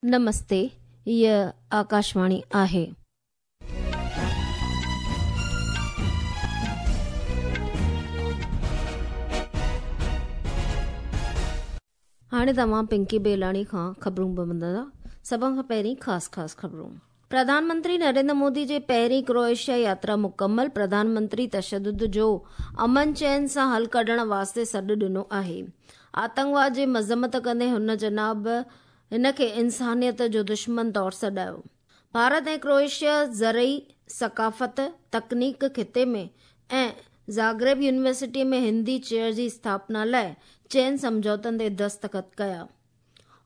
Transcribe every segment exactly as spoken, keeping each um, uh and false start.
नमस्ते, हीअ आकाशवाणी आहे. हाणे तव्हां पिंकी बेलाणी खां ख़बरूं ॿुधंदा. सभ खां पहिरीं ख़ासि ख़ासि ख़बरूं. प्रधानमंत्री नरेंद्र मोदी जी पहिरीं क्रोएशिया यात्रा मुकमल. प्रधानमंत्री तशद्दुद जो अमन चैन सां हल कढण वास्ते सॾु ॾिनो आहे. आतंकवाद जी मज़म्मत कंदे हुन जनाब हिन खे इंसानियत जो दुश्मन तौर सॾायो. भारत ऐं क्रोएशिया ज़रई, सकाफ़त, तकनीक ख़िते में ऐं ज़ाग्रेब यूनिवर्सिटी में हिंदी चेयर जी स्थापना लाइ चइनि सम्झौतनि ते दस्तख़त कया.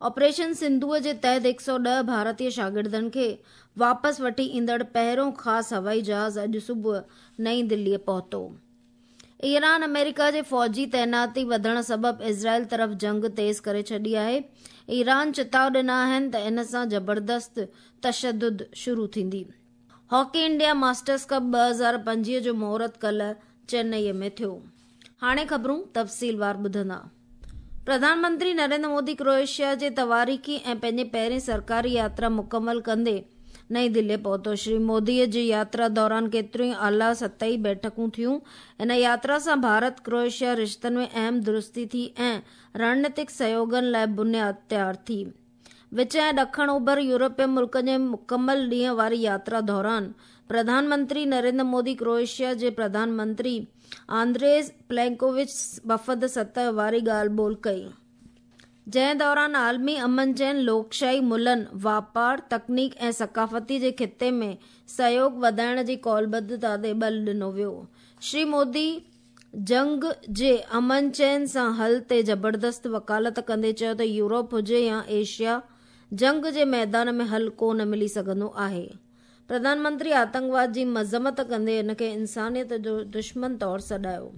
ऑपरेशन सिंधूअ जे तहत हिकु सौ ॾह भारतीय शागिर्दनि खे वापसि वठी ईंदड़ पहिरियों ख़ासि हवाई जहाज़ अॼु सुबुह नई दिल्लीअ पहुतो. ईरान अमेरिका जे फ़ौजी तैनाती वधण सबबि इज़राइल तरफ़ जंग तेज़ करे छॾी आहे. ईरान चिताव ॾिना आहिनि त इन सां ज़बरदस्त तशद्दुद शुरू थींदी. हॉकी इंडिया मास्टर्स कप ॿ हज़ार पंजवीह जो मुहूर्त कल्ह चेन्नईअ में थियो. हाणे ख़बरूं तफ़सीलवार ॿुधंदा. प्रधानमंत्री नरेंद्र मोदी क्रोएशिया जे तवारीख़ी ऐं पंहिंजी पहिरीं सरकारी यात्रा मुकमल कंदे नई दिल्ली पहुतो. श्री मोदीअ जी यात्रा दौरान केतिरियूं ई आला सतही बैठकूं थियूं. इन यात्रा सां भारत क्रोएशिया रिश्तनि में अहम दुरुस्ती थी ऐं रणनीतिक सहयोगनि लाइ बुनियाद तयार थी. विच ऐं ॾखण ओभर यूरोपीय मुल्कनि जे मुकमल ॾींहं वारी यात्रा दौरान प्रधानमंत्री नरेंद्र मोदी क्रोएशिया जे प्रधानमंत्री आंद्रेज प्लेंकोविच वफ़द सतह वारी ॻाल्हि ॿोल कई, जंहिं दौरान आलमी अमन चैन, लोकशाही मुलनि, वापार, तकनीक ऐं सकाफ़ती जे ख़िते में सहयोग वधाइण जी कौलबद्धता ते बल ॾिनो वियो. श्री मोदी जंग जे अमन चैन सां हल ते ज़बरदस्त वकालत कंदे चयो त यूरोप हुजे या एशिया, जंग जे मैदान में हल को न मिली सघंदो आहे. प्रधानमंत्री आतंकवाद जी मज़म्मत कंदे हिन खे इंसानियत जो दुश्मन तौर सॾायो.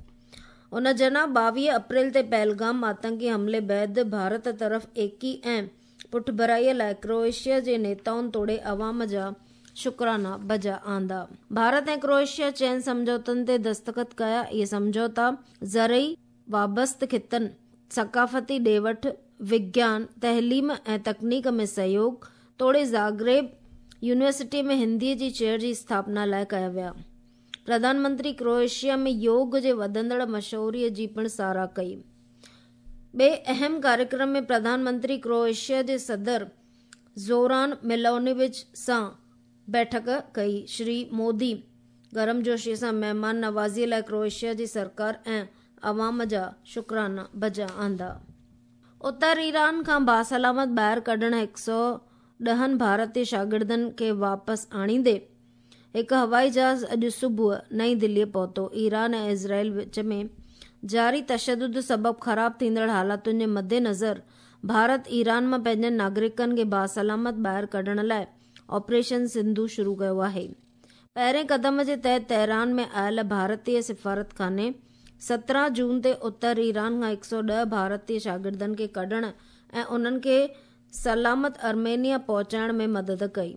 उन जनाब ॿावीह अप्रैल ते पहलगाम आतंकी हमले बाद भारत तरफ़ एकी ऐं पुठभराईअ लाइ क्रोएशिया जे नेताउनि तोड़े अवाम जा शुक्राना बजा आंदा. भारत ऐं क्रोएशिया चइनि सम्झौतनि ते दस्तख़त कया. इहे सम्झौता ज़रई, वाबस्त ख़ितनि, सकाफ़ती ॾे वठ, विज्ञान, तहलीम ऐं तकनीक में सहयोग तोड़े ज़ाग्रेब यूनिवर्सिटी में हिंदीअ जी चेयर जी स्थापना लाइ कया विया. प्रधानमंत्री क्रोएशिया में योग जे वधंदड़ मशहूरीअ जी पिणु सराह कई. ॿिए अहम कार्यक्रम में प्रधानमंत्री क्रोएशिया जे सदर ज़ोरान मिलोनोविच सां बैठक कई. श्री मोदी गर्मजोशीअ सां महिमान नवाज़ीअ लाइ क्रोएशिया जी सरकार ऐं अवाम जा शुक्राना बजा आंदा. उत्तर ईरान खां बासलामत ॿाहिरि कढण हिकु सौ ॾहनि भारतीय शागिर्दनि खे वापसि आणींदे हिकु हवाई जहाज़ अॼु सुबुह नई दिल्लीअ पहुतो. ईरान ऐं इज़राइल विच में जारी तशद्दुद सबबि ख़राब थींदड़ हालातुनि जे मद्देनज़र भारत ईरान मां पंहिंजनि नागरिकनि खे बासलामत ॿाहिरि कढण लाइ ऑपरेशन सिंधु शुरू कयो आहे. पहिरें कदम जे तहत तेहरान में आयल भारतीय सिफारतखाने सत्रहं जून ते उत्तर ईरान खां हिकु सौ ॾह भारतीय शागिर्दनि खे कढण ऐं उन्हनि खे सलामत आर्मेनिया पहुचाइण में मदद कई.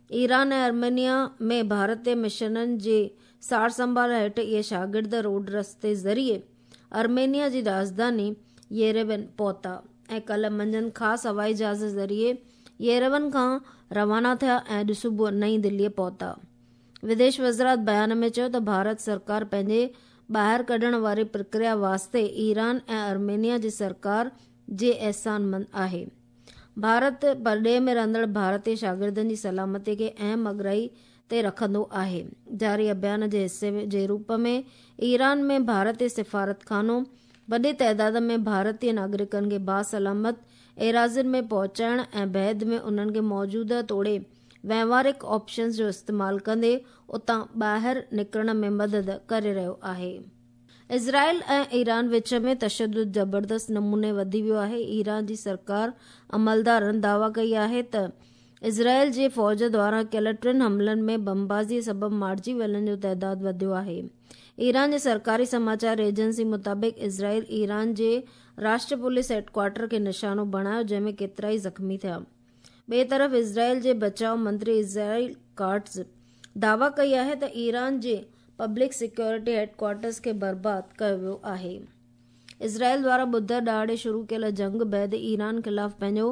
ईरान ऐं आर्मेनिया में भारतीय मिशननि जे सार संभाल हेठि इहे शागिर्द रोड रस्ते ज़रिए आर्मेनिया जी राजधानी येरेवन पहुता ऐं कल्ह मंझंदि ख़ासि हवाई जहाज़ ज़रिए येरेवन खां रवाना थिया ऐं अॼु सुबुह नई दिल्लीअ पहुता. विदेश वज़ारत बयान में चयो त भारत सरकार पंहिंजे ॿाहिरि कढण वारी प्रक्रिया वास्ते ईरान ऐं आर्मेनिया जी सरकार जे एहसानमंद आहे. भारत परॾेह में रहंदड़ भारतीय शागिर्दनि जी सलामती खे अहम अगराई ते रखंदो आहे. जारी अभियान जे हिसे जे रूप में ईरान में भारतीय सिफारतखानो वॾे तादाद में भारतीय नागरिकनि खे बासलामत एराज़ियुनि में पहुचाइण ऐं बाद में उन्हनि खे मौजूदा तोड़े वहिंवारिक ऑप्शंस जो इस्तेमालु कंदे उतां ॿाहिरि निकिरण में मदद करे रहियो आहे. इज़राइल ऐं ईरान विच में तशद्दुद ज़बरदस्त नमूने वधी वियो आहे. ईरान जी सरकार अमलदारनि दावा कई आहे त इज़राइल जे फ़ौज द्वारा कयल टिनि हमलनि में बमबाज़ीअ सबबि मारिजी वियलनि जो तादाद वधियो आहे. ईरान जे सरकारी समाचार एजेंसी मुताबिक़ इज़राइल ईरान जे राष्ट्र पुलिस हेडक्वार्टर खे निशानो बणायो, जंहिं में केतिरा ई ज़ख़्मी थिया. ॿिए तरफ़ इज़राइल जे बचाव मंत्री इज़राइल काट्ज़ दावा कई आहे त ईरान जे पब्लिक सिक्योरिटी हेडक्वार्टर्स खे बर्बाद कयो वियो आहे. इज़राइल द्वारा ॿुधर ॾिहाड़े शुरू कयल जंग बाद ईरान ख़िलाफ़ पंहिंजो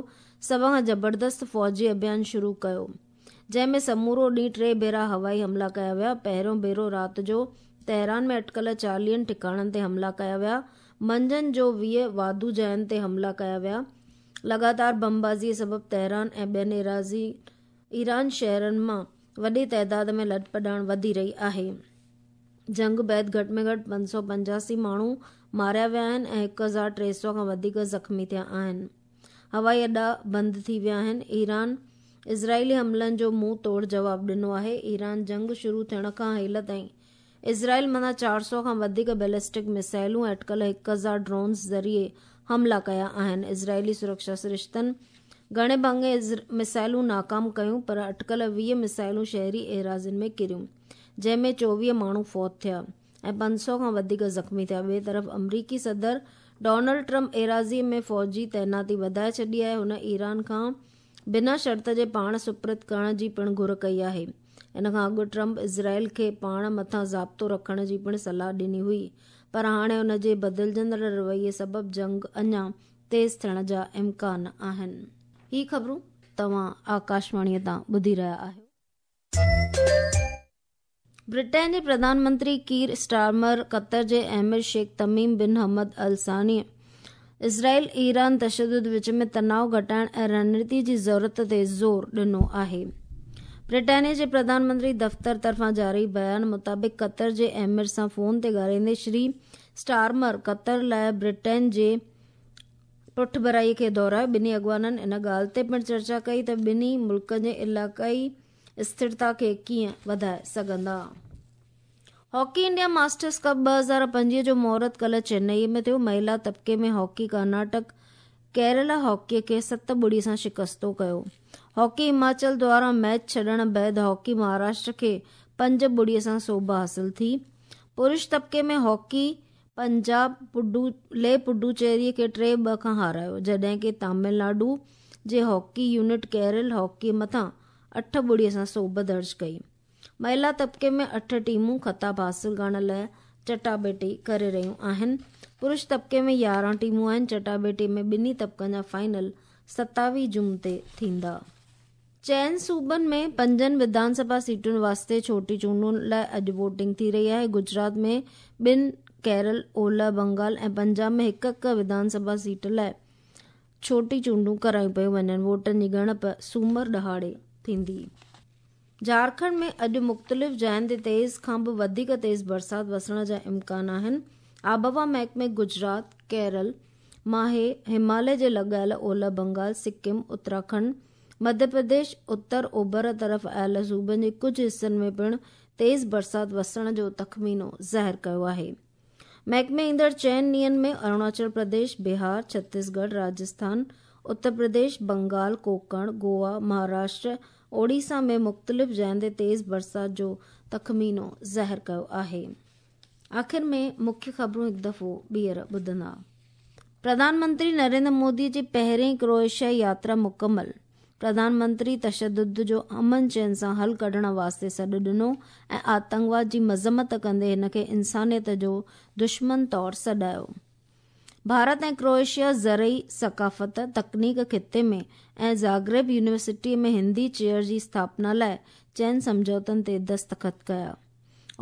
سڀ کان زبردست فوجي اڀيان شروع ڪيو، جنهن ۾ سمورو ڏينهن ٽي ڀيرا هوائي حملا ڪيا ويا. پهريون ڀيرو رات جو تهران ۾ اٽڪل چاليهن ٺڪاڻن تي حملا ڪيا ويا. منجهند جو ويهه واڌو جاين تي حملا ڪيا ويا. لڳاتار بمبازيء سبب تهران ۽ ٻين ايران شهرن مان وڏي تعداد ۾ لڏپلاڻ وڌي رهي آهي. جنگ بعد گهٽ ۾ گهٽ پنج سؤ پنجاسي ماڻهو ماريا ويا آهن ۽ هڪ هزار ٽي سؤ کان وڌيڪ زخمي ٿيا آهن. هوائي اڏا بند ٿي ويا آهن. ايران اسرائيلي حملن جو منهن توڙ جواب ڏنو آهي. ايران جنگ شروع ٿيڻ کان هيل تائين اسرائيل مٿان چار سؤ کان وڌيڪ بيلسٽڪ ميسائلون ۽ اٽڪل هڪ هزار ڊرونز ذريعي حملا ڪيا آهن. اسرائيلي سرڪشا سرشتن گهڻي ڀاڱي ميسائلون ناڪام ڪيون، پر اٽڪل ويهه ميسائلون شهري ايراضين ۾ ڪريون، جنهن ۾ چوويهه ماڻهو فوت ٿيا ۽ پنج سؤ کان وڌيڪ زخمي ٿيا. ٻئي طرف آمريڪي صدر ڊونلڊ ٽرمپ ايراضيء ۾ فوجي تعيناتي وڌائي ڇڏي آهي. هن ايران کان بنا شرط جي پاڻ سپرد ڪرڻ جي پڻ گهر ڪئي آهي. ان کان اڳ ٽرمپ اسرائيل کي پاڻ مٿان ضابطو رکڻ جي پڻ صلاح ڏني هئي، پر هاڻي ان جي بدلجندڙ رويي سبب جنگ اڃا تيز ٿيڻ جا امڪان آهن. هي خبرون توهان آڪاشواڻيء تان ٻڌي رهيا آهيو. برٽين جي پرڌان منتري ڪير اسٽارمر قطر جي امير شيخ تميم بن حمد الثاني اسرائيل ايران تشدد وچ ۾ تناءُ گهٽائڻ ۽ رڻنيتي جي ضرورت تي زور ڏنو آهي. برٽانيا جي پرڌان منتري دفتر طرفان جاري بيان مطابق قطر جي امير سان فون تي ڳالهائيندي شري اسٽارمر قطر لاءِ برٽين جي پٺڀرائي کي دهرايو. ٻنهي اڳواڻن ان ڳالهه تي پڻ چرچا ڪئي ته ٻنهي ملڪن جي علائقائي اسٿرتا کي ڪيئن وڌائي سگهندا. هاڪي انڊيا ماسٽرز ڪپ ٻه هزار پنجويهه جو مهورت ڪالهه چنائي ۾ ٿيو. مهلا طبقي ۾ هاڪي ڪرناٽڪ ڪيرالا هاڪي کي ست ٻڙي سان شڪستو ڪيو. هاڪي هماچل دواران ميچ ڇڏڻ بعد هاڪي مهاراشٽر کي پنج ٻڙي سان سوڀ حاصل ٿي. پرش طبقي ۾ هاڪي پنجاب پڊو لي پڊوچيري کي ٽي ٻه کان هارايو، جڏهن ڪه تامل ناڊو جي هاڪي يونٽ ڪيرل هاڪي مٿان اٺ ٻڙي سان سوڀ درج ڪئي. مهلا طبقي ۾ اٺ ٽيمون خطاب حاصل ڪرڻ لاءِ چٽاڀيٽي ڪري رهيون آهن. پرش طبقي ۾ يارهن ٽيمون آهن. چٽاڀيٽي ۾ ٻنهي طبقن جا فائنل ستاويهه جون تي ٿيندا. چئن صوبن ۾ پنجن وڌان سڀا سيٽن واسطي ڇوٽي چونڊن لاءِ اڄ ووٽنگ ٿي رهي آهي. گجرات ۾ ٻن، ڪيرل، اولهه بنگال ۽ پنجاب ۾ هڪ هڪ وڌان سڀا سيٽ لاءِ ڇوٽي چونڊون ڪرايون پيون وڃن. ووٽن جي ڳڻپ سومر ڏهاڙي ٿيندي. جهارکنڊ ۾ اڄ مختلف جاين تي تيز کان به وڌيڪ تيز برسات وسڻ جا امڪان آهن. آبهوا محڪمي گجرات، ڪيرل، ماهي، هماليه جي لڳايل اولهه بنگال، سڪم، اتراکنڊ، مڌيه پرديش، اتر اوڀر طرف آيل صوبن جي ڪجهه حصن ۾ پڻ تيز برسات وسڻ جو تخمينو ظاهر ڪيو آهي. محڪمي ايندڙ چئن ڏينهن ۾ اروناچل پرديش، بهار، ڇتيسڳڙهه، راجسٿان، اتر پرديش، بنگال، ڪوڪڻ، گوا، مهاراشٽر، اوڙيسا ۾ مختلف جاين تي تيز برسات جو تخمينو ظاهر ڪيو آهي. آخر ۾ مکيه خبرون هڪ دفعو ٻيهر ٻڌندا. پرڌان منتري نريندر مودي جي پهرين ڪروئيشيا ياترا مڪمل. پرڌان منتري تشدد جو امن چين سان حل ڪڍڻ واسطي سڏ ڏنو ۽ آتنڪواد جي مذمت ڪندي هن کي انسانيت جو دشمن طور سڏايو. ڀارت ۽ ڪروئيشيا زرعي ثقافت، تڪنيڪ خطي ۾ ۽ زاگريب يونيورسٽي ۾ هندي چيئر جي اسٿاپنا لاءِ چئن سمجهوتن تي دستخط ڪيا.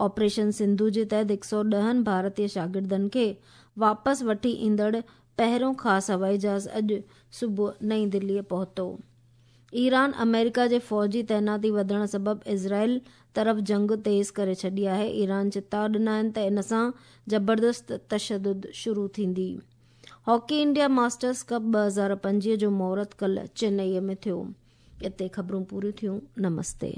آپريشن سنڌو جي تحت هڪ سؤ ڏهن ڀارتيه شاگردن کي واپس وٺي ايندڙ پهريون خاص هوائي جهاز اڄ صبح نئين دليءَ پهتو. ايران آمريڪا جي فوجي تعيناتي وڌڻ سبب اسرائيل طرف جنگ تيز ڪري ڇڏي آهي. ايران چتاءُ ڏنا آهن ته ان سان زبردست تشدد شروع ٿيندي. هاڪي انڊيا ماسٽرز ڪپ ٻه هزار پنجويهه جو مهورت ڪالهه چنائي ۾ ٿيو. اتي خبرون پوريون ٿيون. نمستي.